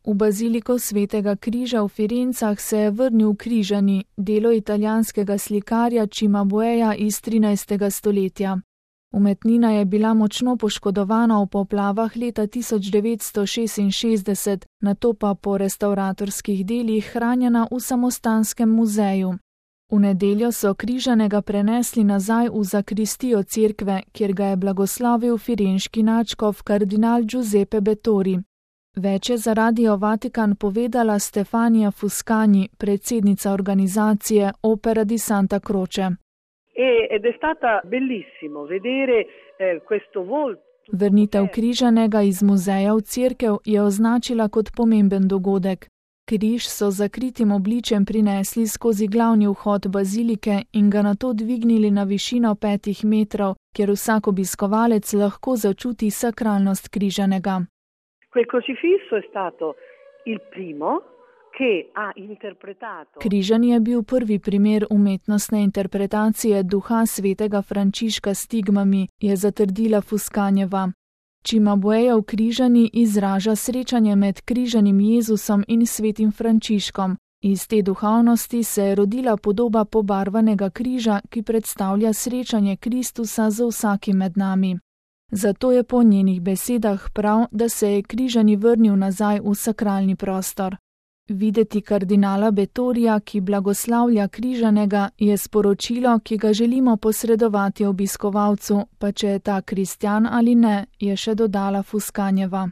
V baziliko Svetega križa v Firencah se je vrnil Križani, delo italijanskega slikarja Cimabueja iz 13. stoletja. Umetnina je bila močno poškodovana v poplavah leta 1966, nato pa po restavratorskih delih hranjena v samostanskem muzeju. V nedeljo so Križanega prenesli nazaj v zakristijo cerkve, kjer ga je blagoslovil firenški nadškof kardinal Giuseppe Bettori. Več je za Radio Vatikan povedala Stefania Fuscani, predsednica organizacije Opera di Santa Croce. Ed è stata bellissimo vedere questo volto. Vrnitev Križanega iz muzeja v cerkev je označila kot pomemben dogodek. Križ so zakritim obličjem prinesli skozi glavni vhod bazilike in ga nato dvignili na višino 5 metrov, kjer vsak obiskovalec lahko začuti sakralnost Križanega. Quel crocifisso è stato il primo che ha interpretato. Križani je bil prvi primer umetnostne interpretacije duha svetega Frančiška s stigmami, je zatrdila Fuscanjeva. Cimabuejev Križani izraža srečanje med križanim Jezusom in svetim Frančiškom. Iz te duhovnosti se je rodila podoba pobarvanega križa, ki predstavlja srečanje Kristusa z vsakim med nami. Zato je po njenih besedah prav, da se je Križani vrnil nazaj v sakralni prostor. Videti kardinala Bettorija, ki blagoslavlja Križanega, je sporočilo, ki ga želimo posredovati obiskovalcu, pa če je ta kristjan ali ne, je še dodala Fuscanjeva.